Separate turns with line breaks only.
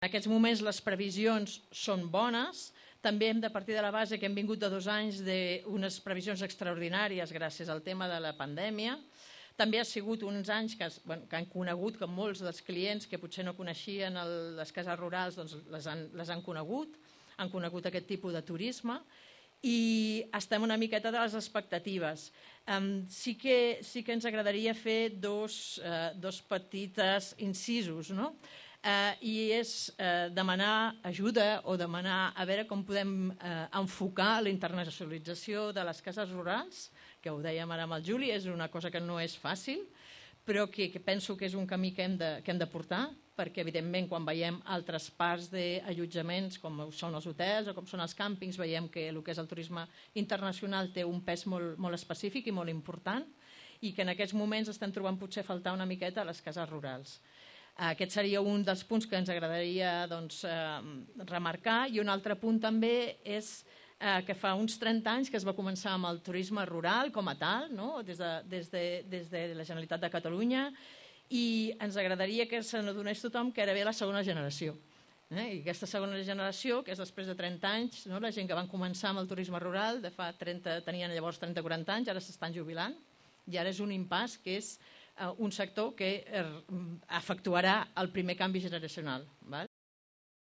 En aquests moments les previsions són bones, també hem de partir de la base que hem vingut de 2 anys d'unes previsions extraordinàries gràcies al tema de la pandèmia. També ha sigut uns anys que han conegut, que molts dels clients que potser no coneixien les cases rurals doncs les han conegut aquest tipus de turisme i estem una miqueta de les expectatives. Sí que ens agradaria fer dos petites incisos, no? I és demanar ajuda o demanar a veure com podem enfocar la internacionalització de les cases rurals, que ho dèiem ara amb el Juli, és una cosa que no és fàcil, però que penso que és un camí que hem de portar, perquè evidentment quan veiem altres parts d'allotjaments com són els hotels o com són els càmpings, veiem que el que és el turisme internacional té un pes molt específic i molt important i que en aquests moments estem trobant potser faltar una miqueta a les cases rurals. Aquest seria un dels punts que ens agradaria remarcar i un altre punt també és que fa uns 30 anys que es va començar amb el turisme rural com a tal, des de la Generalitat de Catalunya, i ens agradaria que se n'adonés tothom que ara ve la segona generació. I aquesta segona generació, que és després de 30 anys, la gent que van començar amb el turisme rural, tenien llavors 30-40 anys, ara s'estan jubilant, i ara és un impàs que és un sector que efectuarà el primer canvi generacional.